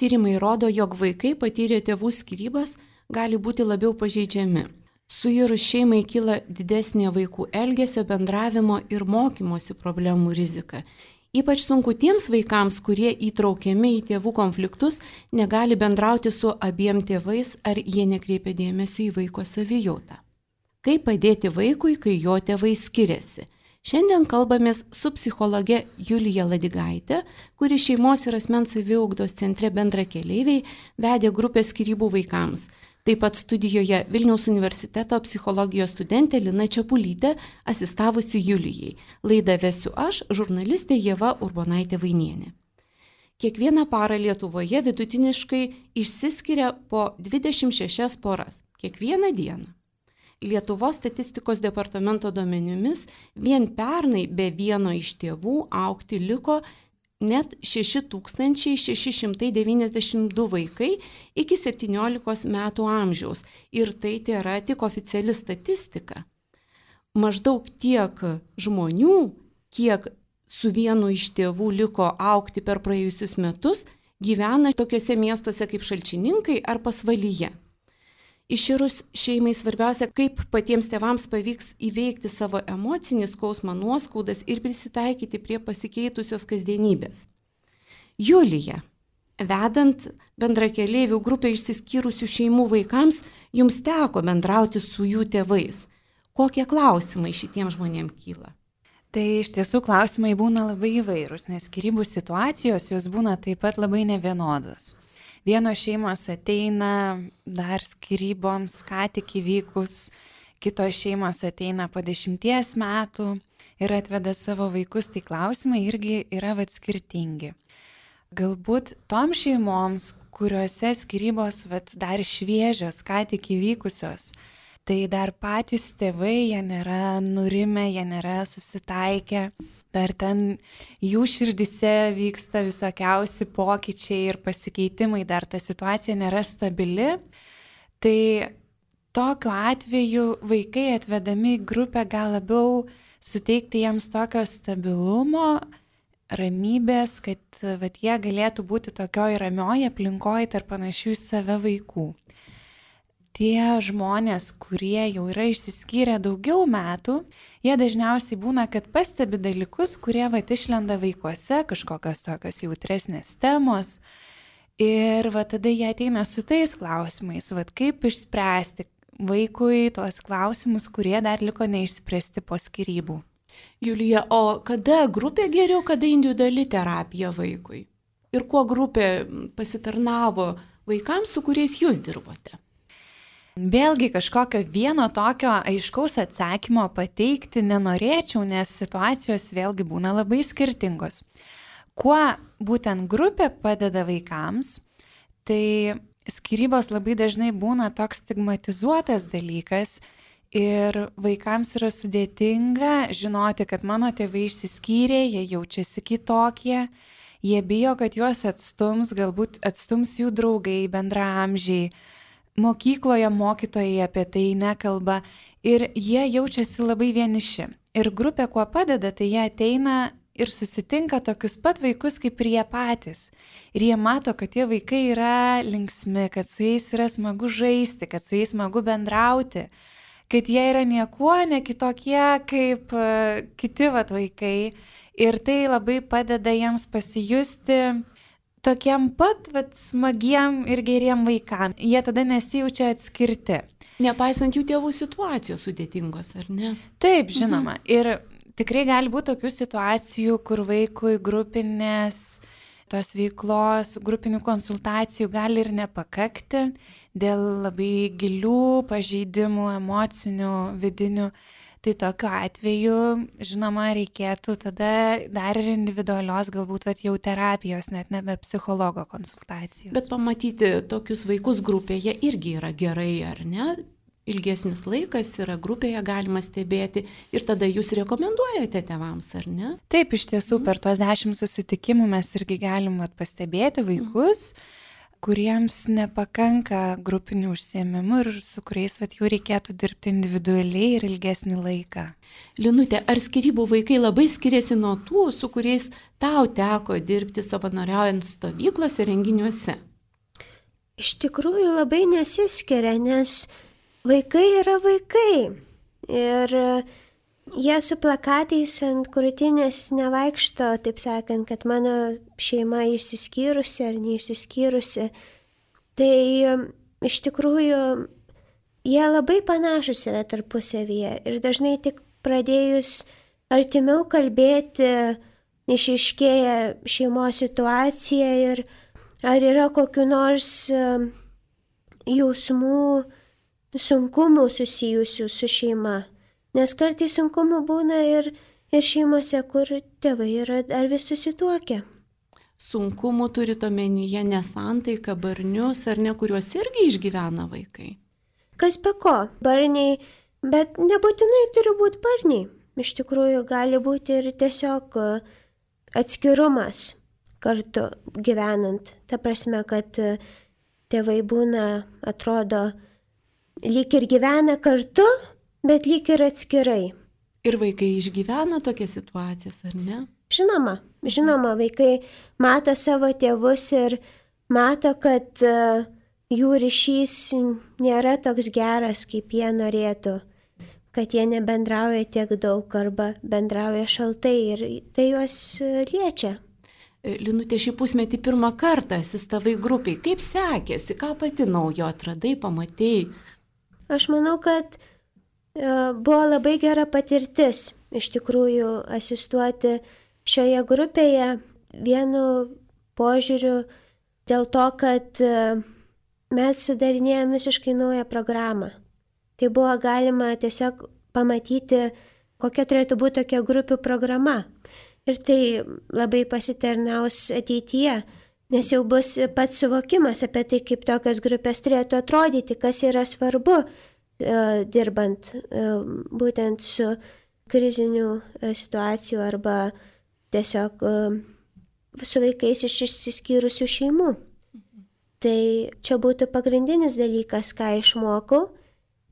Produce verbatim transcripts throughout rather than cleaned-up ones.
Tyrimai rodo, jog vaikai patyrę tėvų skyrybas gali būti labiau pažeidžiami. Suirus šeimai kyla didesnė vaikų elgesio, bendravimo ir mokymosi problemų rizika. Ypač sunku tiems vaikams, kurie įtraukiami į tėvų konfliktus, negali bendrauti su abiem tėvais ar jie nekreipia dėmesio į vaiko savijautą. Kaip padėti vaikui, kai jo tėvai skiriasi? Šiandien kalbamės su psichologe Julija Ladigaitė, kuri šeimos ir asmens saviugdos centre Bendrakeleiviai vedė grupę skyrybų vaikams. Taip pat studijoje Vilniaus universiteto psichologijos studentė Lina Čepulytė, asistavusi Julijai. Laidą vesiu aš, žurnalistė Ieva Urbonaitė Vainienė. Kiekvieną parą Lietuvoje vidutiniškai išsiskiria po dvidešimt šešias poras. Kiekvieną dieną. Lietuvos statistikos departamento duomenimis vien pernai be vieno iš tėvų augti liko net šeši tūkstančiai šeši šimtai devyniasdešimt du vaikai iki septyniolikos metų amžiaus. Ir tai tėra tik oficiali statistika. Maždaug tiek žmonių, kiek su vienu iš tėvų liko augti per praėjusius metus, gyvena tokiuose miestuose kaip Šalčininkai ar Pasvalyje. Iširus šeimai svarbiausia, kaip patiems tėvams pavyks įveikti savo emocinį skausmą, nuoskaudas ir prisitaikyti prie pasikeitusios kasdienybės. Julija, vedant Bendrakeleivių grupę išsiskyrusių šeimų vaikams, jums teko bendrauti su jų tėvais. Kokie klausimai šitiems žmonėms kyla? Tai iš tiesų klausimai būna labai įvairūs, nes skyrybų situacijos jos būna taip pat labai nevienodos. Vienos šeimos ateina dar skyryboms ką tik įvykus, kitos šeimos ateina po dešimties metų ir atveda savo vaikus, tai klausimai irgi yra vat skirtingi. Galbūt tom šeimoms, kuriuose skyrybos vat dar šviežios, ką tik įvykusios, tai dar patys tėvai, jie nėra nurimę, jie nėra susitaikę. Dar ten jų širdise vyksta visokiausi pokyčiai ir pasikeitimai, dar ta situacija nėra stabili. Tai tokiu atveju vaikai atvedami į grupę gal labiau suteikti jiems tokio stabilumo, ramybės, kad vat, jie galėtų būti tokioj ramioj aplinkoj tarp panašių į save vaikų. Tie žmonės, kurie jau yra išsiskyrę daugiau metų, jie dažniausiai būna, kad pastebi dalykus, kurie vat išlenda vaikuose, kažkokios tokios jautresnės temos. Ir vat tada jie ateina su tais klausimais, vat kaip išspręsti vaikui tuos klausimus, kurie dar liko neišspręsti po skyrybų. Julija, o kada grupė geriau, kada individuali terapija vaikui? Ir kuo grupė pasitarnavo vaikams, su kuriais jūs dirbote? Vėlgi kažkokio vieno tokio aiškaus atsakymo pateikti nenorėčiau, nes situacijos vėlgi būna labai skirtingos. Kuo būtent grupė padeda vaikams, tai skyrybos labai dažnai būna toks stigmatizuotas dalykas ir vaikams yra sudėtinga žinoti, kad mano tėvai išsiskyrė, jie jaučiasi kitokie, jie bijo, kad juos atstums, galbūt atstums jų draugai, bendraamžiai. Mokykloje mokytojai apie tai nekalba ir jie jaučiasi labai vieniši. Ir grupė kuo padeda, tai jie ateina ir susitinka tokius pat vaikus kaip ir jie patys. Ir jie mato, kad tie vaikai yra linksmi, kad su jais yra smagu žaisti, kad su jais smagu bendrauti, kad jie yra niekuo ne kitokie kaip uh, kiti vat, vaikai. Ir tai labai padeda jiems pasijusti tokiem pat vat, smagiem ir geriem vaikam. Jie tada nesijaučia atskirti. Nepaisant jų tėvų situacijos sudėtingos, ar ne? Taip, žinoma. Mhm. Ir tikrai gali būti tokių situacijų, kur vaikui grupinės tos veiklos, grupinių konsultacijų gali ir nepakakti dėl labai gilių pažeidimų, emocinių, vidinių. Tai tokiu atveju, žinoma, reikėtų tada dar ir individualios, galbūt vat, jau terapijos, net nebe psichologo konsultacijos. Bet pamatyti tokius vaikus grupėje irgi yra gerai, ar ne? Ilgesnis laikas yra grupėje, galima stebėti ir tada jūs rekomenduojate tėvams, ar ne? Taip, iš tiesų, per tuos dešimt susitikimų mes irgi galim vat, pastebėti vaikus, mm. kuriems nepakanka grupinių užsiėmimų ir su kuriais vat, jau reikėtų dirbti individualiai ir ilgesnį laiką. Linute, ar skyrybų vaikai labai skiriasi nuo tų, su kuriais tau teko dirbti savanoriaujant stovyklose, renginiuose? iš tikrųjų labai nesiskiria, nes vaikai yra vaikai. Ir jie su plakatais ant krūtinės nevaikšto, taip sakant, kad mano šeima išsiskyrusi ar neišsiskyrusi. Tai iš tikrųjų jie labai panašus yra tarpusavyje. Ir dažnai tik pradėjus artimiau kalbėti, išaiškėja šeimos situacija ir ar yra kokiu nors jausmų, sunkumų susijusių su šeima. Nes kartais sunkumų būna ir, ir šeimose, kur tėvai yra dar vis susituokę. Sunkumų turit omenyje nesantaiką, barnius ar ne, kuriuos irgi išgyvena vaikai? Kas be ko, barniai, bet nebūtinai turi būti barniai. Iš tikrųjų gali būti ir tiesiog atskirumas kartu gyvenant. Ta prasme, kad tėvai būna, atrodo, lyg ir gyvena kartu, bet lyg ir atskirai. Ir vaikai išgyvena tokias situacijas, ar ne? Žinoma, žinoma, vaikai mato savo tėvus ir mato, kad jų ryšys nėra toks geras, kaip jie norėtų. Kad jie nebendrauja tiek daug arba bendrauja šaltai ir tai juos liečia. Linute, šį pusmetį pirmą kartą asistavai grupiai. Kaip sekėsi, ką pati naujo atradai, pamatėjai? Aš manau, kad buvo labai gera patirtis iš tikrųjų asistuoti šioje grupėje vienu požiūriu dėl to, kad mes sudarinėjome visiškai naują programą. Tai buvo galima tiesiog pamatyti, kokia turėtų būti tokia grupių programa. Ir tai labai pasitarnaus ateityje, nes jau bus pats suvokimas apie tai, kaip tokios grupės turėtų atrodyti, kas yra svarbu dirbant būtent su krizinių situacijų arba tiesiog su vaikais iš išsiskyrusių šeimų. Tai čia būtų pagrindinis dalykas, ką išmokau.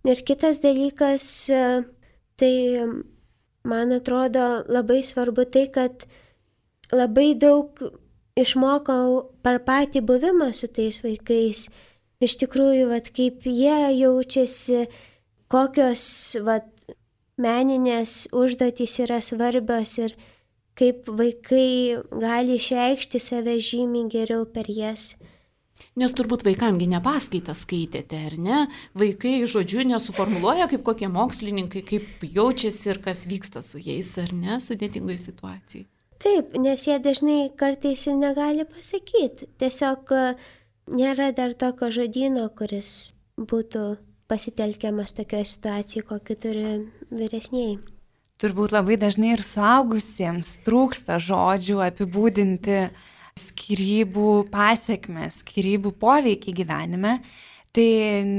Ir kitas dalykas, tai man atrodo labai svarbu tai, kad labai daug išmokau per patį buvimą su tais vaikais. Iš tikrųjų, vat, kaip jie jaučiasi, kokios vat, meninės užduotys yra svarbios ir kaip vaikai gali išreikšti save žymiai geriau per jas. Nes turbūt vaikamgi ne paskaitą skaitėte, ar ne? Vaikai žodžiu nesuformuluoja kaip kokie mokslininkai, kaip jaučiasi ir kas vyksta su jais, ar ne, sudėtingoje situacijoje. Taip, nes jie dažnai kartais ir negali pasakyti. Tiesiog nėra dar tokio žodyno, kuris būtų pasitelkiamas tokioje situacijoje, kokį turi vyresnieji. Turbūt labai dažnai ir suaugusiems trūksta žodžių apibūdinti skyrybų pasiekmes, skyrybų poveikį gyvenime, tai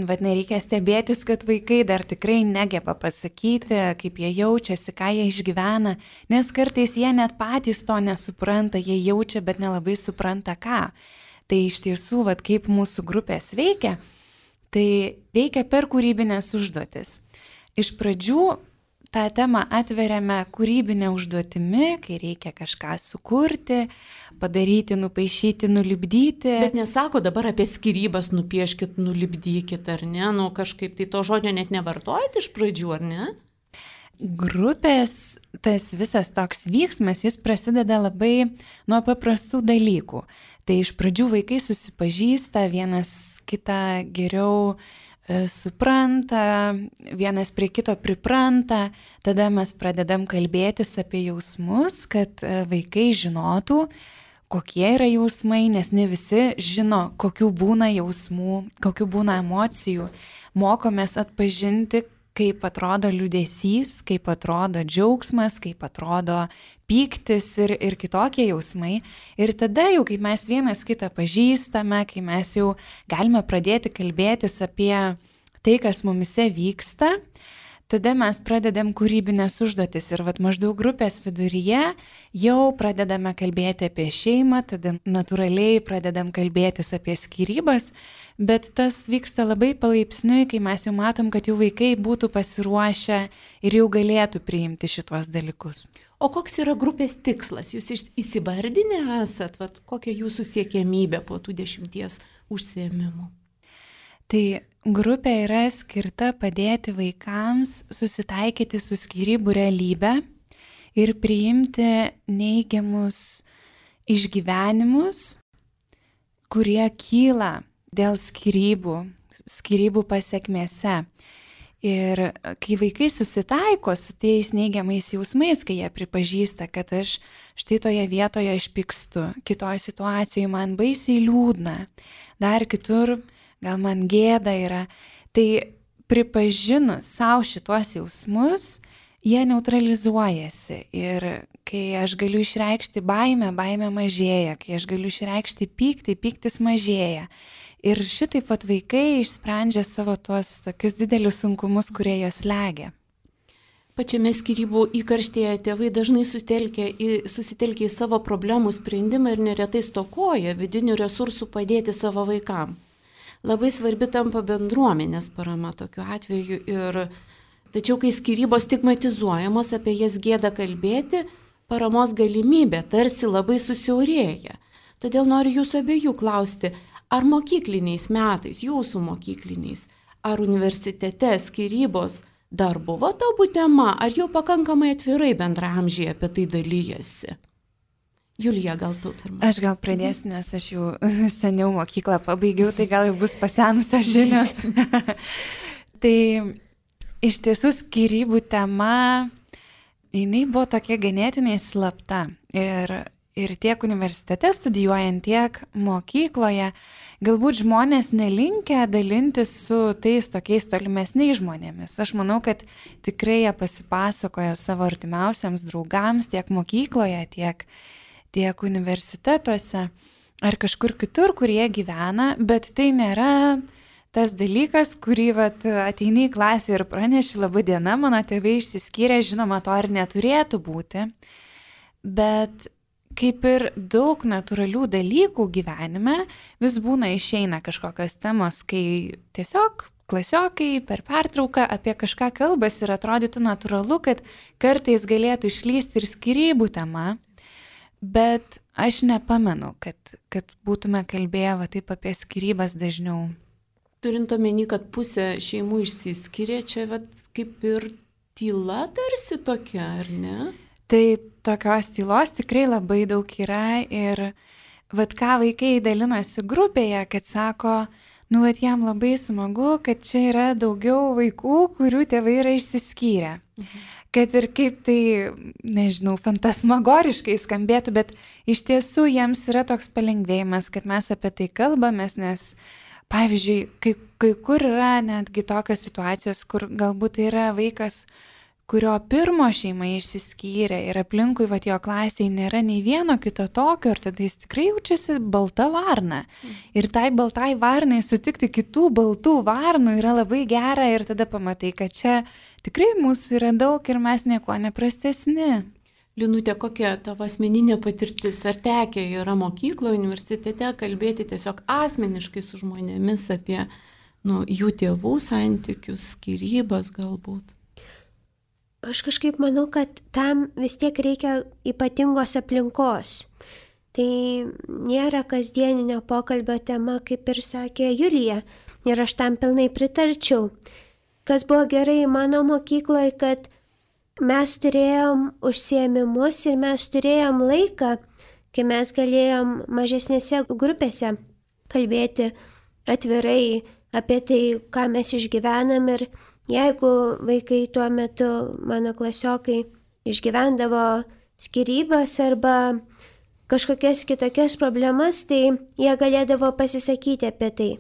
vat, nereikia stebėtis, kad vaikai dar tikrai negeba pasakyti, kaip jie jaučiasi, ką jie išgyvena, nes kartais jie net patys to nesupranta, jie jaučia, bet nelabai supranta ką. Tai iš tiesų, vat, kaip mūsų grupės veikia, tai veikia per kūrybinės užduotis. Iš pradžių tą temą atveriame kūrybinę užduotimi, kai reikia kažką sukurti, padaryti, nupaišyti, nulipdyti. Bet nesako dabar apie skyrybas, nupieškit, nulipdykit, ar ne? Nu, kažkaip tai to žodžio net nevartojat iš pradžių, ar ne? Grupės, tas visas toks vyksmas, jis prasideda labai nuo paprastų dalykų. Tai iš pradžių vaikai susipažįsta, vienas kitą geriau supranta, vienas prie kito pripranta, tada mes pradedam kalbėtis apie jausmus, kad vaikai žinotų, kokie yra jausmai, nes ne visi žino, kokių būna jausmų, kokių būna emocijų. Mokomės atpažinti, kaip atrodo liūdesys, kaip atrodo džiaugsmas, kaip atrodo pyktis ir, ir kitokie jausmai. Ir tada jau, kai mes vienas kitą pažįstame, kai mes jau galime pradėti kalbėtis apie tai, kas mumise vyksta, tada mes pradedam kūrybinės užduotis ir vat maždaug grupės viduryje jau pradedame kalbėti apie šeimą, tada natūraliai pradedam kalbėtis apie skyrybas, bet tas vyksta labai palaipsniui, kai mes jau matom, kad jau vaikai būtų pasiruošę ir jau galėtų priimti šitos dalykus. O koks yra grupės tikslas? Jūs įsivardinę esat, vat, kokia jūsų siekiamybė po tų dešimties užsiėmimų? Tai grupė yra skirta padėti vaikams susitaikyti su skyrybų realybe ir priimti neigiamus išgyvenimus, kurie kyla dėl skyrybų, skyrybų pasekmėse. Ir kai vaikai susitaiko su tais neigiamais jausmais, kai jie pripažįsta, kad aš štai toje vietoje išpykstu, kitoje situacijoje man baisiai liūdna, dar kitur gal man gėda yra, tai pripažinus savo šitos jausmus, jie neutralizuojasi. Ir kai aš galiu išreikšti baimę, baimė mažėja, kai aš galiu išreikšti pyktį, pyktis mažėja. Ir šitaip pat vaikai išsprendžia savo tuos tokius didelius sunkumus, kurie jos slegia. Pačiame skyrybų įkarštėje tėvai dažnai susitelkia į, susitelkia į savo problemų sprendimą ir neretai stokoja vidinių resursų padėti savo vaikam. Labai svarbi tampa bendruomenės parama tokiu atveju. Ir, tačiau kai skyrybos stigmatizuojamos, apie jas gėda kalbėti, paramos galimybė tarsi labai susiaurėja. Todėl noriu jūsų abiejų klausti, ar mokykliniais metais, jūsų mokykliniais, ar universitete skyrybos dar buvo tabu tema, ar jau pakankamai atvirai bendraamžiai apie tai dalyjasi? Julija, gal tu pirmą? Aš gal pradėsiu, nes aš jau seniau mokyklą pabaigiau, tai gal jau bus pasenusios žinios. Tai iš tiesų skyrybų tema, jinai buvo tokia ganėtinai slapta. Ir Ir tiek universitete studijuojant, tiek mokykloje, galbūt žmonės nelinkę dalintis su tais tokiais tolimesniais žmonėmis. Aš manau, kad tikrai jie pasipasakojo savo artimiausiams draugams tiek mokykloje, tiek, tiek universitetuose ar kažkur kitur, kur jie gyvena, bet tai nėra tas dalykas, kurį vat, ateini į klasę ir praneši, laba diena, mano tėvai išsiskyrė, žinoma, to ir neturėtų būti, bet kaip ir daug natūralių dalykų gyvenime, vis būna išeina kažkokios temos, kai tiesiog klasiokai per pertrauką apie kažką kalbas ir atrodytų natūralu, kad kartais galėtų išlysti ir skyrybų tema, bet aš nepamenu, kad, kad būtume kalbėję va, taip apie skyrybas dažniau. Turint omeny, kad pusė šeimų išsiskiria, čia va, kaip ir tyla tarsi tokia, ar ne? Taip, tokios tylos tikrai labai daug yra ir vat ką vaikai dalinasi grupėje, kad sako, nu vat jam labai smagu, kad čia yra daugiau vaikų, kurių tėvai yra išsiskyrę. Mhm. Kad ir kaip tai, nežinau, fantasmagoriškai skambėtų, bet iš tiesų jiems yra toks palengvėjimas, kad mes apie tai kalbamės, nes pavyzdžiui, kai, kai kur yra netgi tokios situacijos, kur galbūt tai yra vaikas, kurio pirmo šeima išsiskyrė ir aplinkui vat, jo klasėje nėra nei vieno kito tokio, ir tada jis tikrai jaučiasi balta varna. Ir tai baltai varnai sutikti kitų baltų varnų yra labai gera ir tada pamatai, kad čia tikrai mūsų yra daug ir mes nieko neprastesni. Linute, kokia tavo asmeninė patirtis? Ar tekę yra mokykloje, universitete kalbėti tiesiog asmeniškai su žmonėmis apie nu, jų tėvų santykius, skyrybas galbūt? Aš kažkaip manau, kad tam vis tiek reikia ypatingos aplinkos. Tai nėra kasdieninio pokalbio tema, kaip ir sakė Julija, ir aš tam pilnai pritarčiau. Kas buvo gerai mano mokykloje, kad mes turėjom užsiėmimus ir mes turėjom laiką, kai mes galėjom mažesnėse grupėse kalbėti atvirai apie tai, ką mes išgyvenam. Ir jeigu vaikai tuo metu, mano klasiokai, išgyvendavo skyrybas arba kažkokias kitokias problemas, tai jie galėdavo pasisakyti apie tai.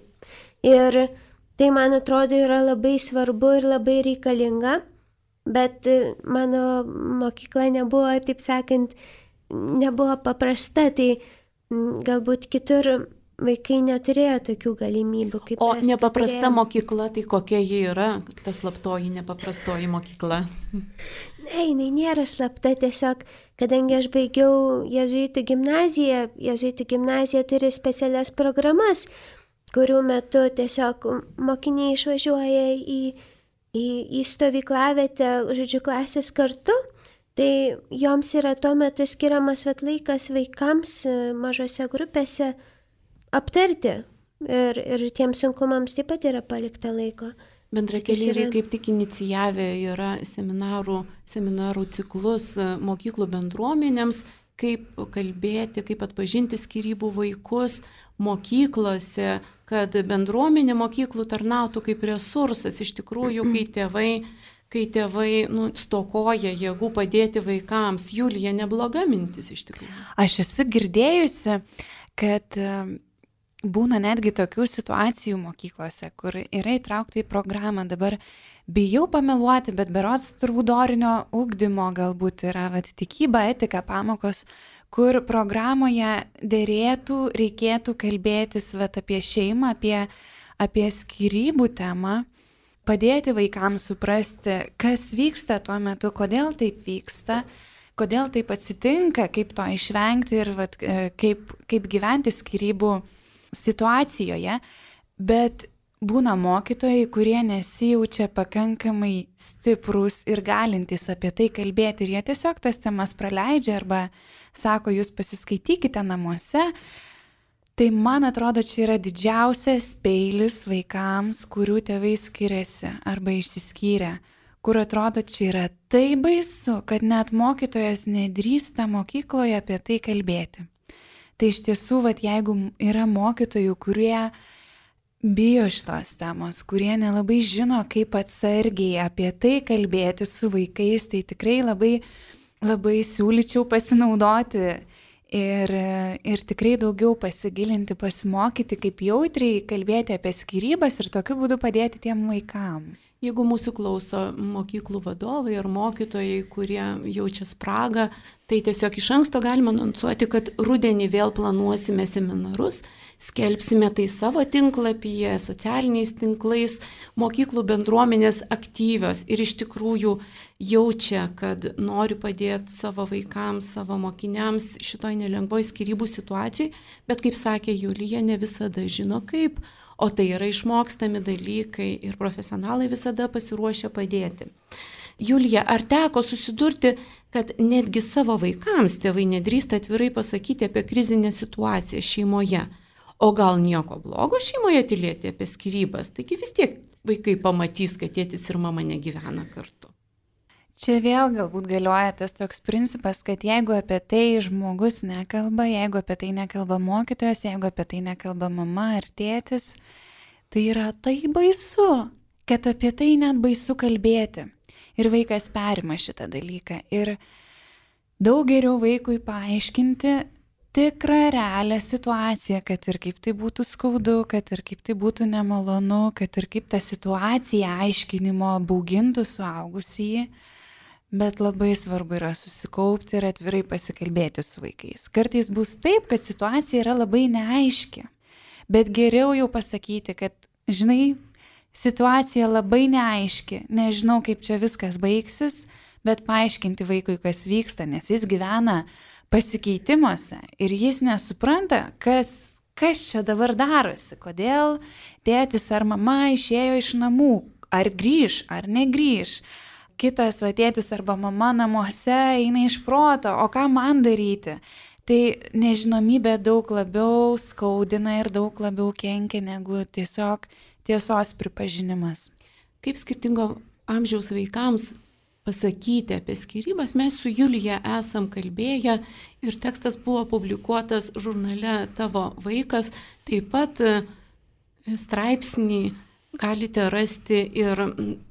Ir tai, man atrodo, yra labai svarbu ir labai reikalinga, bet mano mokykla nebuvo, taip sakant, nebuvo paprasta, tai galbūt kitur vaikai neturėjo tokių galimybių, kaip o mes. O nepaprasta turėjom. mokykla, tai kokia ji yra, ta slaptoji, nepaprastoji mokykla? Ne, jinai nėra slapta, tiesiog, kadangi aš baigiau jėzuitų gimnaziją, jėzuitų gimnazija turi specialias programas, kurių metu tiesiog mokiniai išvažiuoja į, į, į stovyklavietę, žodžiu, klasės kartu, tai joms yra tuo metu skiriamas vat laikas vaikams mažose grupėse aptarti ir, ir tiems sunkumams taip pat yra palikta laiko. Bendrakeleiviai kaip tik inicijavę yra seminarų, seminarų ciklus mokyklų bendruomenėms, kaip kalbėti, kaip atpažinti skyrybų vaikus mokyklose, kad bendruomenė mokyklų tarnautų kaip resursas. Iš tikrųjų, kai tėvai, kai tėvai nu, stokoja jėgų padėti vaikams. Julija, nebloga mintis iš tikrųjų. Aš esu girdėjusi, kad būna netgi tokių situacijų mokyklose, kur yra įtraukta į programą. Dabar bijau pameluoti, bet berods turbūt dorinio ugdymo galbūt yra vat, tikyba, etika pamokos, kur programoje dėrėtų, reikėtų kalbėtis vat, apie šeimą, apie, apie skyrybų temą, padėti vaikams suprasti, kas vyksta tuo metu, kodėl taip vyksta, kodėl taip atsitinka, kaip to išvengti ir vat, kaip, kaip gyventi skyrybų situacijoje, bet būna mokytojai, kurie nesijaučia pakankamai stiprus ir galintys apie tai kalbėti ir jie tiesiog tas temas praleidžia arba sako, jūs pasiskaitykite namuose. Tai man atrodo, čia yra didžiausias peilis vaikams, kurių tėvai skiriasi arba išsiskyrė, kur atrodo, čia yra tai baisu, kad net mokytojas nedrįsta mokykloje apie tai kalbėti. Tai iš tiesų, vat, jeigu yra mokytojų, kurie bijo šitos temos, kurie nelabai žino, kaip atsargiai apie tai kalbėti su vaikais, tai tikrai labai, labai siūlyčiau pasinaudoti ir, ir tikrai daugiau pasigilinti, pasimokyti, kaip jautriai kalbėti apie skyrybas ir tokiu būdu padėti tiem vaikam. Jeigu mūsų klauso mokyklų vadovai ar mokytojai, kurie jaučia spragą, tai tiesiog iš anksto galima anonsuoti, kad rudenį vėl planuosime seminarus, skelbsime tai savo tinklapyje, socialiniais tinklais, mokyklų bendruomenės aktyvios ir iš tikrųjų jaučia, kad nori padėti savo vaikams, savo mokiniams šitoj nelengvoj skyrybų situacijai, bet kaip sakė Julija, ne visada žino kaip. O tai yra išmokstami dalykai ir profesionalai visada pasiruošia padėti. Julija, ar teko susidurti, kad netgi savo vaikams tėvai nedrįsta atvirai pasakyti apie krizinę situaciją šeimoje? O gal nieko blogo šeimoje tylėti apie skyrybas? Taigi vis tiek vaikai pamatys, kad tėtis ir mama negyvena kartu. Čia vėl galbūt galioja tas toks principas, kad jeigu apie tai žmogus nekalba, jeigu apie tai nekalba mokytojas, jeigu apie tai nekalba mama ar tėtis, tai yra tai baisu, kad apie tai net baisu kalbėti. Ir vaikas perima šitą dalyką. Ir daug geriau vaikui paaiškinti tikrą realią situaciją, kad ir kaip tai būtų skaudu, kad ir kaip tai būtų nemalonu, kad ir kaip ta situacija aiškinimo baugintų suaugusįjį. Bet labai svarbu yra susikaupti ir atvirai pasikalbėti su vaikais. Kartais bus taip, kad situacija yra labai neaiški, bet geriau jau pasakyti, kad, žinai, situacija labai neaiški, nežinau, kaip čia viskas baigsis, bet paaiškinti vaikui, kas vyksta, nes jis gyvena pasikeitimuose ir jis nesupranta, kas, kas čia dabar darosi, kodėl tėtis ar mama išėjo iš namų, ar grįž, ar negrįž. Kitas va, tėtis arba mama namuose eina iš proto, o ką man daryti? Tai nežinomybė daug labiau skaudina ir daug labiau kenkia negu tiesiog tiesos pripažinimas. Kaip skirtingo amžiaus vaikams pasakyti apie skyrybas, mes su Julija esam kalbėję ir tekstas buvo publikuotas žurnale Tavo vaikas, taip pat straipsnį galite rasti ir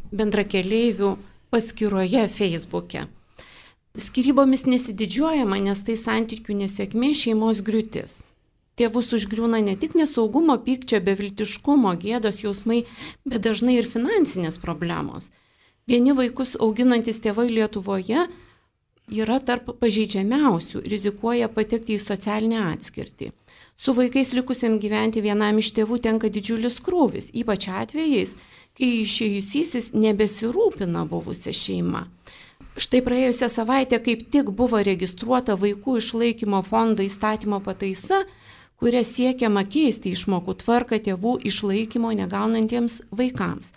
bendrakeleivių paskyroje Facebook'e. Skyrybomis nesididžiuojama, nes tai santykių nesėkmė, šeimos griūtis. Tėvus užgriūna ne tik nesaugumo, pykčio, beviltiškumo, gėdos jausmai, bet dažnai ir finansinės problemos. Vieni vaikus auginantis tėvai Lietuvoje yra tarp pažeidžiamiausių, rizikuoja patekti į socialinę atskirtį. Su vaikais likusiam gyventi vienam iš tėvų tenka didžiulis krūvis, ypač atvejais, kai išėjusysis nebesirūpina buvusią šeimą. Štai praėjusią savaitę kaip tik buvo registruota vaikų išlaikymo fondo įstatymo pataisa, kuria siekiama keisti išmokų tvarką tėvų išlaikymo negaunantiems vaikams.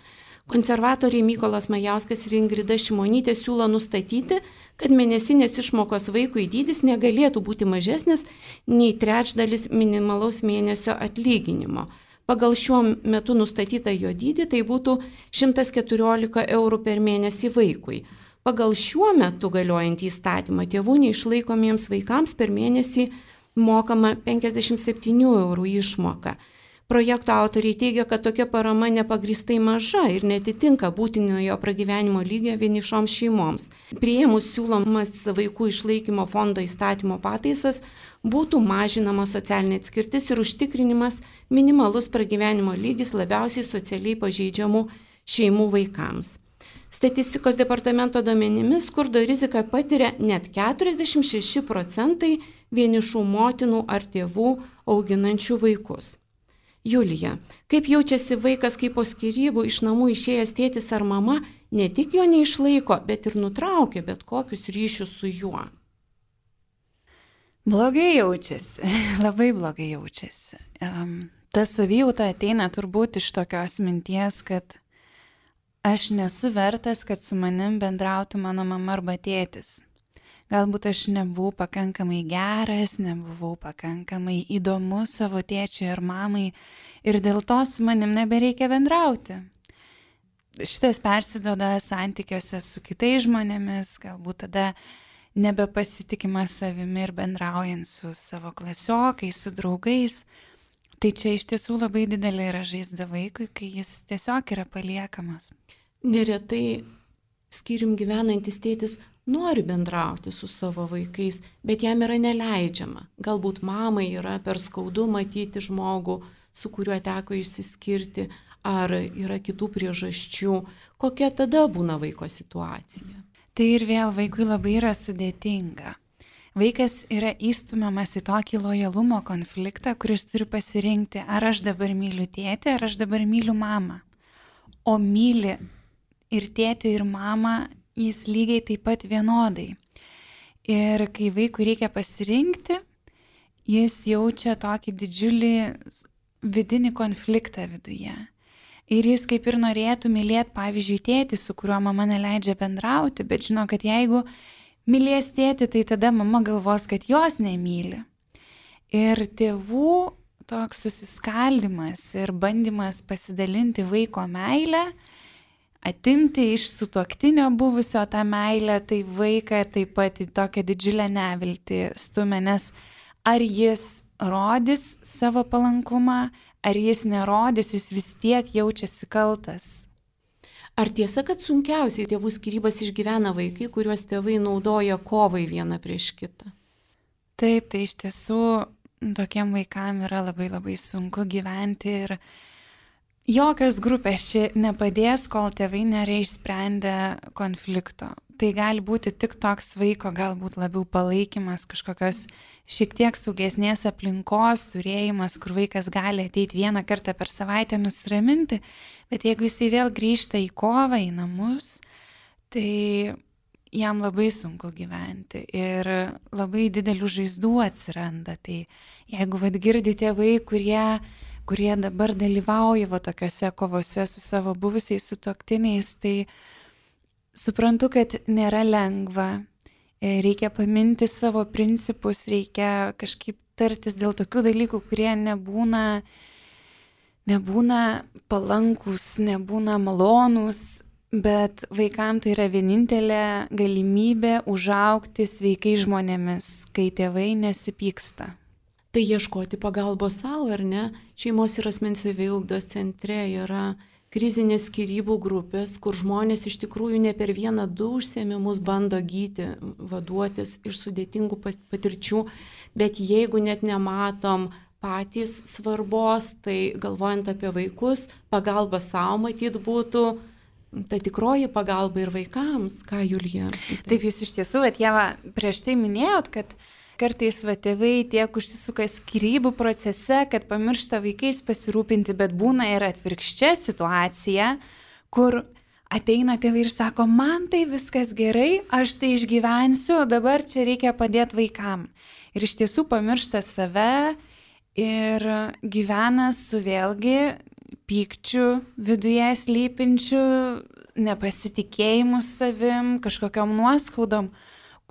Konservatoriai Mykolas Majauskas ir Ingrida Šimonytė siūlo nustatyti, kad mėnesinės išmokos vaikui dydis negalėtų būti mažesnis nei trečdalis minimalaus mėnesio atlyginimo. Pagal šiuo metu nustatytą jo dydį tai būtų šimtas keturiolika eurų per mėnesį vaikui. Pagal šiuo metu galiojantį įstatymą tėvų neišlaikomiems vaikams per mėnesį mokama penkiasdešimt septynių eurų išmoka. Projekto autoriai teigia, kad tokia parama nepagrįstai maža ir netitinka būtinojo pragyvenimo lygio vienišoms šeimoms. Priėmus siūlomas vaikų išlaikymo fondo įstatymo pataisas būtų mažinama socialinė atskirtis ir užtikrinimas minimalus pragyvenimo lygis labiausiai socialiai pažeidžiamų šeimų vaikams. Statistikos departamento duomenimis skurdo riziką patiria net keturiasdešimt šeši procentai vienišų motinų ar tėvų auginančių vaikus. Julija, kaip jaučiasi vaikas, kai po skyrybų iš namų išėjęs tėtis ar mama ne tik jo neišlaiko, bet ir nutraukia bet kokius ryšius su juo? Blogai jaučiasi, labai blogai jaučiasi. Um, ta savijauta ateina turbūt iš tokios minties, kad aš nesu vertas, kad su manim bendrautų mano mama arba tėtis. Galbūt aš nebuvau pakankamai geras, nebuvau pakankamai įdomus savo tėčiui ar mamai ir dėl to su manim nebereikia bendrauti. Šitas persiduoda santykiuose su kitais žmonėmis, galbūt tada nebepasitikima savimi ir bendraujant su savo klasiokais, su draugais. Tai čia iš tiesų labai didelė yra žaizda vaikui, kai jis tiesiog yra paliekamas. Neretai skyrium gyvenantis tėtis nori bendrauti su savo vaikais, bet jam yra neleidžiama. Galbūt mamai yra per skaudu matyti žmogų, su kuriuo teko išsiskirti, ar yra kitų priežasčių. Kokia tada būna vaiko situacija? Tai ir vėl vaikui labai yra sudėtinga. Vaikas yra įstumiamas į tokį lojalumo konfliktą, kuris turi pasirinkti, ar aš dabar myliu tėtį, ar aš dabar myliu mamą. O myli ir tėtį, ir mamą jis lygiai taip pat vienodai. Ir kai vaikui reikia pasirinkti, jis jaučia tokį didžiulį vidinį konfliktą viduje. Ir jis kaip ir norėtų mylėti, pavyzdžiui, tėtį, su kuriuo mama neleidžia bendrauti, bet žino, kad jeigu mylės tėtį, tai tada mama galvos, kad jos nemyli. Ir tėvų toks susiskaldimas ir bandymas pasidalinti vaiko meilę, atimti iš sutuoktinio buvusio tą meilę, tai vaiką taip pat į tokią didžiulę neviltį stumia, nes ar jis rodys savo palankumą, ar jis nerodys, jis vis tiek jaučiasi kaltas. Ar tiesa, kad sunkiausiai tėvų skyrybas išgyvena vaikai, kuriuos tėvai naudoja kovai vieną prieš kitą? Taip, tai iš tiesų tokiem vaikam yra labai labai sunku gyventi ir jokios grupės čia nepadės, kol tėvai nėra išsprendę konflikto. Tai gali būti tik toks vaiko galbūt labiau palaikymas, kažkokios šiek tiek saugesnės aplinkos turėjimas, kur vaikas gali ateiti vieną kartą per savaitę nusiraminti, bet jeigu jisai vėl grįžta į kovą, į namus, tai jam labai sunku gyventi ir labai didelių žaizdų atsiranda. Tai jeigu vad girdi tėvai, kurie kurie dabar dalyvauja va tokiose kovose su savo buvusiais sutuoktiniais, tai suprantu, kad nėra lengva, reikia paminti savo principus, reikia kažkaip tartis dėl tokių dalykų, kurie nebūna, nebūna palankus, nebūna malonus, bet vaikams tai yra vienintelė galimybė užaugti sveikai žmonėmis, kai tėvai nesipyksta. Tai ieškoti pagalbos savo, ar ne? Šeimos ir asmens saviugdos centre yra krizinės skyrybų grupės, kur žmonės iš tikrųjų ne per vieną du užsiėmimus bando gyti, vaduotis iš sudėtingų patirčių, bet jeigu net nematom patys svarbos, tai galvojant apie vaikus, pagalba savo matyt būtų ta tikroji pagalba ir vaikams. Ką, Julija? Taip, jūs iš tiesų, bet Ieva, prieš tai minėjot, kad kartais va tėvai tiek užsisuka skyrybų procese, kad pamiršta vaikais pasirūpinti, bet būna ir atvirkščia situacija, kur ateina tėvai ir sako, man tai viskas gerai, aš tai išgyvensiu, dabar čia reikia padėti vaikam. Ir iš tiesų pamiršta save ir gyvena su vėlgi pykčiu viduje slypinčiu, nepasitikėjimu savim, kažkokiom nuoskaudom,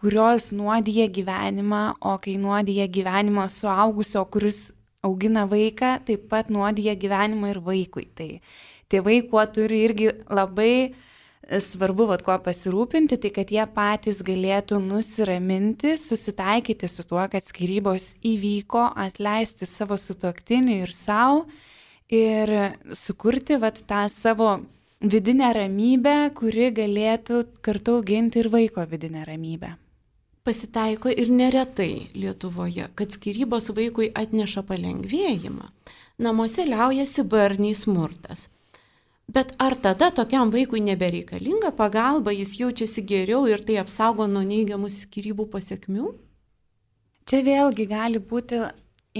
kurios nuodija gyvenimą, o kai nuodija gyvenimą suaugusio, kuris augina vaiką, taip pat nuodija gyvenimą ir vaikui. Tai tėvai, kuo turi irgi labai svarbu, vat, kuo pasirūpinti, tai kad jie patys galėtų nusiraminti, susitaikyti su tuo, kad skyrybos įvyko, atleisti savo sutuoktinį ir savo ir sukurti vat, tą savo vidinę ramybę, kuri galėtų kartu auginti ir vaiko vidinę ramybę. Pasitaiko ir neretai Lietuvoje, kad skyrybos vaikui atneša palengvėjimą. Namuose liaujasi barniai smurtas. Bet ar tada tokiam vaikui nebereikalinga pagalba, jis jaučiasi geriau ir tai apsaugo nuo neigiamų skyrybų pasiekmių? Čia vėlgi gali būti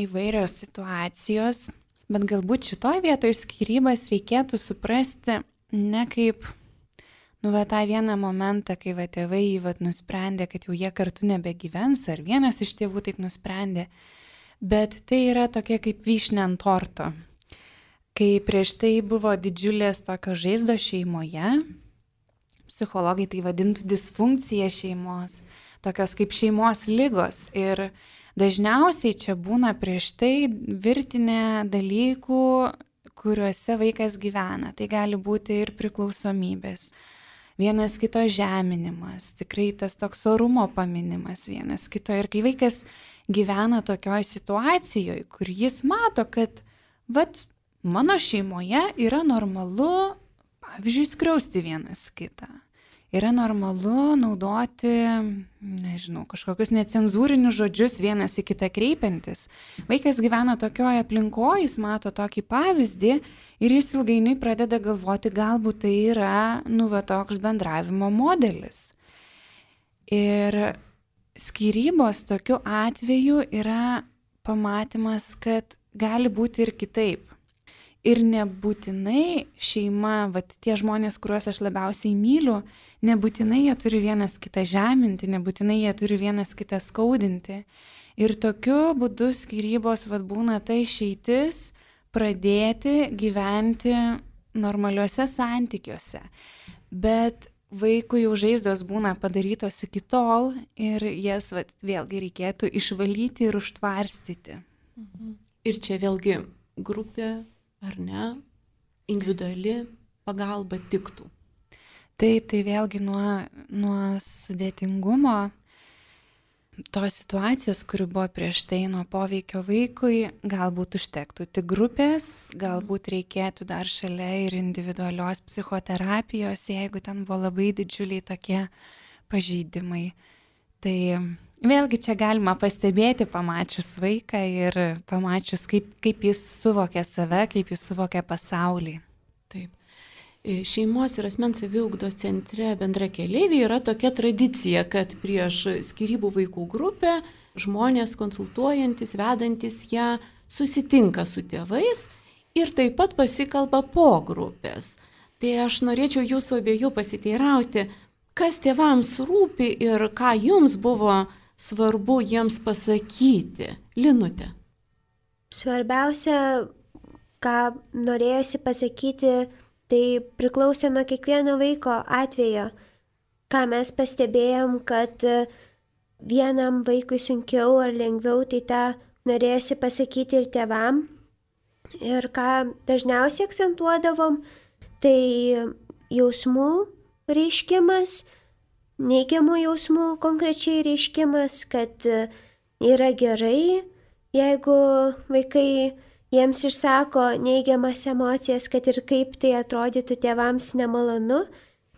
įvairios situacijos, bet galbūt šitoj vietoje skyrybas reikėtų suprasti ne kaip, nu, va, tą vieną momentą, kai va, tėvai va, nusprendė, kad jau jie kartu nebegyvens, ar vienas iš tėvų taip nusprendė, bet tai yra tokia kaip vyšnė ant torto. Kai prieš tai buvo didžiulės tokios žaizdos šeimoje, psichologai tai vadintų disfunkcija šeimos, tokios kaip šeimos ligos. Ir dažniausiai čia būna prieš tai virtinė dalykų, kuriuose vaikas gyvena. Tai gali būti ir priklausomybės, vienas kito žeminimas, tikrai tas toks orumo paminimas vienas kito. Ir kai vaikas gyvena tokioj situacijoje, kur jis mato, kad vat, mano šeimoje yra normalu, pavyzdžiui, skriausti vienas kitą. Yra normalu naudoti, nežinau, kažkokius necenzūrinius žodžius vienas į kitą kreipiantis. Vaikas gyvena tokioje aplinkoje, jis mato tokį pavyzdį ir jis ilgainiui pradeda galvoti, galbūt tai yra, nu, va, toks bendravimo modelis. Ir skyrybos tokiu atveju yra pamatymas, kad gali būti ir kitaip. Ir nebūtinai šeima, vat, tie žmonės, kuriuos aš labiausiai myliu, nebūtinai jie turi vienas kitą žeminti, nebūtinai jie turi vienas kitą skaudinti. Ir tokiu būdu skyrybos vat, būna ta išeitis pradėti gyventi normaliuose santykiuose. Bet vaikui jau žaizdos būna padarytos iki tol ir jas vat, vėlgi reikėtų išvalyti ir užtvarstyti. Ir čia vėlgi grupė, ar ne, individuali pagalba tiktų. Taip, tai vėlgi nuo, nuo sudėtingumo tos situacijos, kuri buvo prieš tai, nuo poveikio vaikui, galbūt užtektų tik grupės, galbūt reikėtų dar šalia ir individualios psichoterapijos, jeigu ten buvo labai didžiuliai tokie pažeidimai. Tai vėlgi čia galima pastebėti pamačius vaiką ir pamačius, kaip, kaip jis suvokia save, kaip jis suvokia pasaulį. Taip. Šeimos ir asmens saviugdos centre Bendrakeleiviai yra tokia tradicija, kad prieš skyrybų vaikų grupę žmonės konsultuojantis, vedantis ją susitinka su tėvais ir taip pat pasikalba po grupės. Tai aš norėčiau jūsų abiejų pasiteirauti, kas tėvams rūpi ir ką jums buvo svarbu jiems pasakyti. Linute. Svarbiausia, ką norėjosi pasakyti, tai priklausė nuo kiekvieno vaiko atvejo. Ką mes pastebėjom, kad vienam vaikui sunkiau ar lengviau, tai tą norėjosi pasakyti ir tėvam. Ir ką dažniausiai akcentuodavom, tai jausmų reiškimas, neigiamų jausmų konkrečiai reiškimas, kad yra gerai, jeigu vaikai jiems išsako neigiamas emocijas, kad ir kaip tai atrodytų tėvams nemalonu,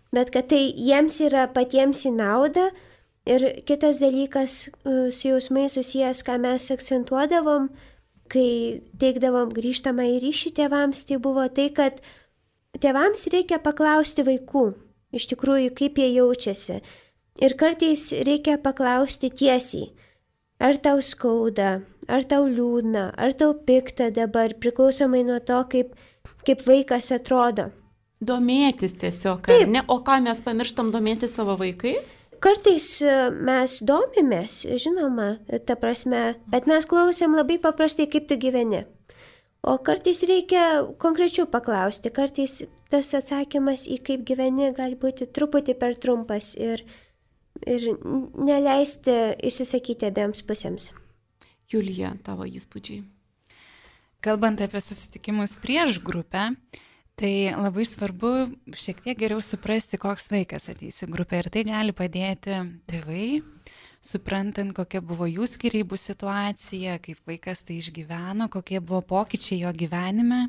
bet kad tai jiems yra patiems į naudą. Ir kitas dalykas su jausmais susijęs, ką mes akcentuodavom, kai teikdavom grįžtamą į ryšį tėvams, tai buvo tai, kad tėvams reikia paklausti vaikų, iš tikrųjų, kaip jie jaučiasi. Ir kartais reikia paklausti tiesiai, ar tau skauda, ar tau liūdna, ar tau pikta dabar, priklausomai nuo to, kaip, kaip vaikas atrodo. Domėtis tiesiog, ar ne? O ką mes pamirštam domėtis savo vaikais? Kartais mes domimės, žinoma, ta prasme, bet mes klausėm labai paprastai, kaip tu gyveni. O kartais reikia konkrečiau paklausti, kartais tas atsakymas į kaip gyveni gali būti truputį per trumpas ir, ir neleisti išsisakyti abiems pusėms. Julija, tavo įspūdžiai. Kalbant apie susitikimus prieš grupę, tai labai svarbu šiek tiek geriau suprasti, koks vaikas ateis į grupę ir tai gali padėti tėvai, suprantant, kokia buvo jų skyrybų situacija, kaip vaikas tai išgyveno, kokie buvo pokyčiai jo gyvenime,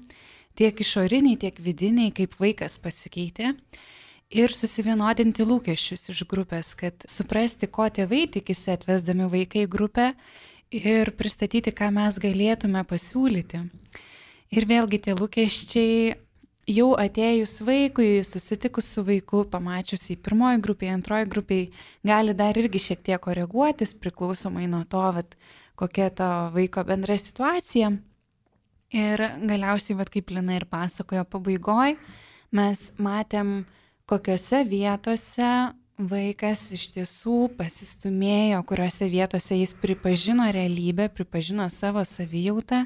tiek išoriniai, tiek vidiniai, kaip vaikas pasikeitė. Ir susivienodinti lūkesčius iš grupės, kad suprasti, ko tėvai tikisi atvesdami vaiką į grupę ir pristatyti, ką mes galėtume pasiūlyti. Ir vėlgi tie lūkesčiai jau atėjus vaikui, susitikus su vaiku, pamačius į pirmoji grupėje, antroji grupėje, gali dar irgi šiek tiek koreguotis, priklausomai nuo to, vat, kokia to vaiko bendra situacija. Ir galiausiai, vat, kaip Lina ir pasakojo pabaigoj, mes matėm, kokiose vietose vaikas iš tiesų pasistumėjo, kuriuose vietose jis pripažino realybę, pripažino savo savijautą,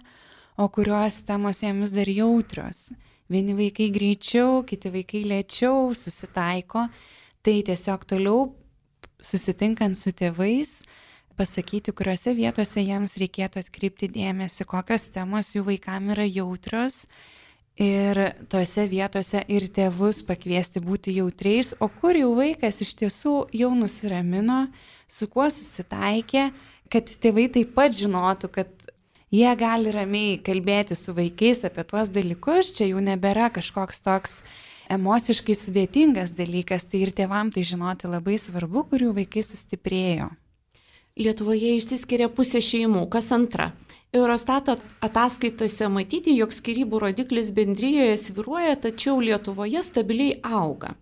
o kurios temos jiems dar jautrios. Vieni vaikai greičiau, kiti vaikai lėčiau susitaiko, tai tiesiog toliau susitinkant su tėvais, pasakyti, kuriuose vietose jiems reikėtų atkreipti dėmesį, kokios temos jų vaikam yra jautrios, ir tose vietose ir tėvus pakviesti būti jautriais, o kur jau vaikas iš tiesų jau nusiramino, su kuo susitaikė, kad tėvai taip pat žinotų, kad jie gali ramiai kalbėti su vaikais apie tuos dalykus, čia jau nebėra kažkoks toks emociškai sudėtingas dalykas, tai ir tėvam tai žinoti labai svarbu, kurių vaikai sustiprėjo. Lietuvoje išsiskiria pusė šeimų, kas antra. Eurostato ataskaitose matyti, jog skyrybų rodiklis bendrijoje svyruoja, tačiau Lietuvoje stabiliai auga.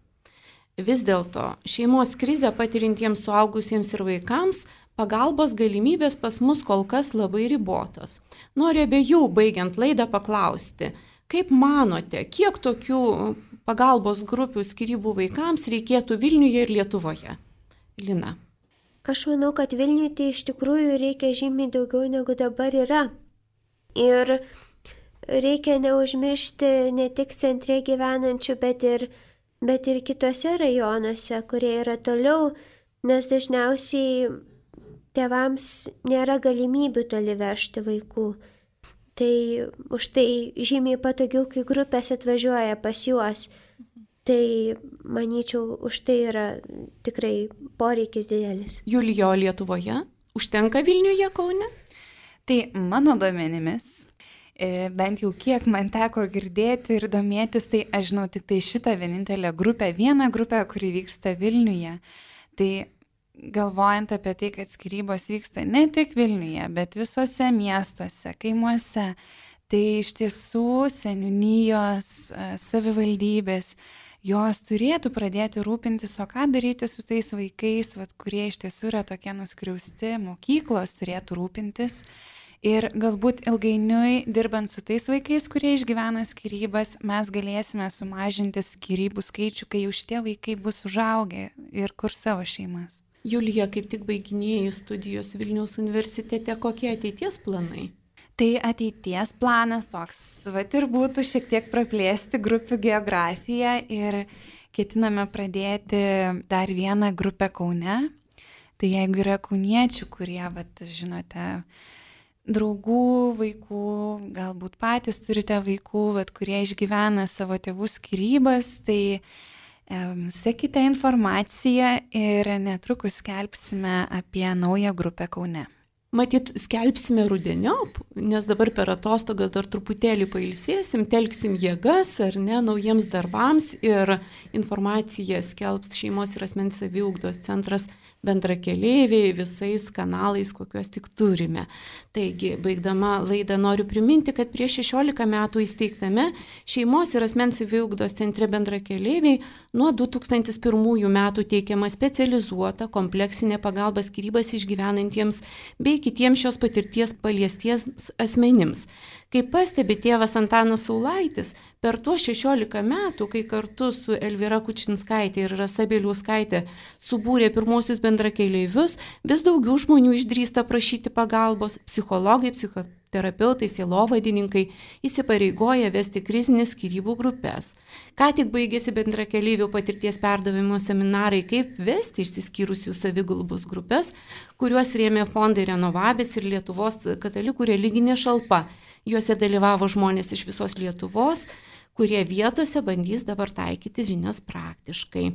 Vis dėlto šeimos krizę patirintiems suaugusiems ir vaikams pagalbos galimybės pas mus kol kas labai ribotos. Noriu abiejų baigiant laidą paklausti, kaip manote, kiek tokių pagalbos grupių skyrybų vaikams reikėtų Vilniuje ir Lietuvoje? Lina. Aš manau, kad Vilniuje tai iš tikrųjų reikia žymiai daugiau negu dabar yra. Ir reikia neužmiršti ne tik centre gyvenančių, bet ir, bet ir kitose rajonuose, kurie yra toliau, nes dažniausiai tėvams nėra galimybių toli vežti vaikų. Tai už tai žymiai patogiau, kai grupės atvažiuoja pas juos. Tai, manyčiau, už tai yra tikrai poreikis didelis. Julija, o Lietuvoje? Užtenka Vilniuje, Kaune? Tai mano duomenimis, bent jau kiek man teko girdėti ir domėtis, tai aš žinau tik tai šitą vienintelę grupę, vieną grupę, kuri vyksta Vilniuje. Tai galvojant apie tai, kad skyrybos vyksta ne tik Vilniuje, bet visose miestuose, kaimuose, tai iš tiesų seniūnijos, savivaldybės, jos turėtų pradėti rūpintis, o ką daryti su tais vaikais, vat, kurie iš tiesų yra tokie nuskriausti, mokyklos turėtų rūpintis. Ir galbūt ilgainiui, dirbant su tais vaikais, kurie išgyvena skyrybas, mes galėsime sumažinti skyrybų skaičių, kai jau šitie vaikai bus užaugę ir kur savo šeimas. Julija, kaip tik baiginėjai studijos Vilniaus universitete, kokie ateities planai? Tai ateities planas toks, vat ir būtų šiek tiek praplėsti grupių geografiją ir ketiname pradėti dar vieną grupę Kaune. Tai jeigu yra kauniečių, kurie, vat, žinote, draugų, vaikų, galbūt patys turite vaikų, vat, kurie išgyvena savo tėvų skyrybas, tai um, sekite informaciją ir netrukus skelbsime apie naują grupę Kaune. Matyt, skelbsime rudeniop, nes dabar per atostogas dar truputėlį pailsėsim, telksim jėgas ar ne naujiems darbams ir informaciją skelbs šeimos ir asmens saviugdos centras bendrakeleiviai visais kanalais, kokiuos tik turime. Taigi, baigdama laidą noriu priminti, kad prieš šešiolika metų įsteigtame šeimos ir asmens saviugdos centre bendrakeleiviai nuo du tūkstančiai pirmųjų metų teikiama specializuota kompleksinė pagalba skyrybas išgyvenantiems bei kitiems šios patirties paliestiems asmenims. Kaip pastebi tėvas Antanas Saulaitis, per tuos šešiolika metų, kai kartu su Elvyra Kučinskaitė ir Rasa Bieliauskaitė subūrė pirmosius bendrakeleivius, vis daugiau žmonių išdrįsta prašyti pagalbos, psichologai, psichoterapeutai, sielovadininkai įsipareigoja vesti krizinės skyrybų grupės. Ką tik baigėsi bendrakeleivių patirties perdavimo seminarai, kaip vesti išsiskyrusių savigalbos grupės, kuriuos rėmė fondai Renovabis ir Lietuvos katalikų religinė šalpa. Juose dalyvavo žmonės iš visos Lietuvos, kurie vietose bandys dabar taikyti žinias praktiškai.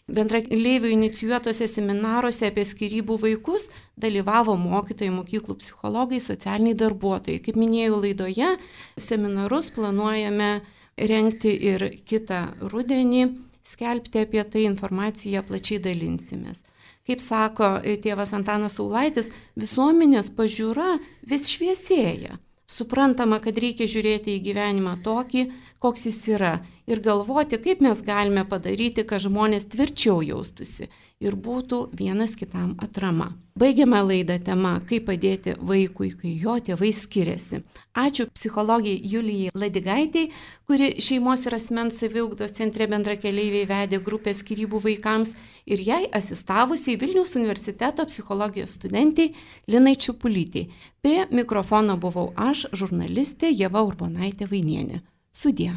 Bendrakeleivių inicijuotose seminaruose apie skyrybų vaikus dalyvavo mokytojai, mokyklų psichologai, socialiniai darbuotojai. Kaip minėjau laidoje, seminarus planuojame rengti ir kitą rudenį, skelbti apie tai informaciją, plačiai dalinsimės. Kaip sako tėvas Antanas Saulaitis, visuomenės pažiūra vis šviesėja. Suprantama, kad reikia žiūrėti į gyvenimą tokį, koks jis yra ir galvoti, kaip mes galime padaryti, kad žmonės tvirčiau jaustųsi ir būtų vienas kitam atrama. Baigiame laidą tema, kaip padėti vaikui, kai jo tėvai skiriasi. Ačiū psichologijai Julijai Ladigaitei, kuri šeimos ir asmens saviugdos centre Bendrakeleiviai vedė grupę skyrybų vaikams ir jai asistavusiai Vilniaus universiteto psichologijos studentei Linai Čiupulytei. Prie mikrofono buvau aš, žurnalistė Ieva Urbonaitė Vainienė. Sudie.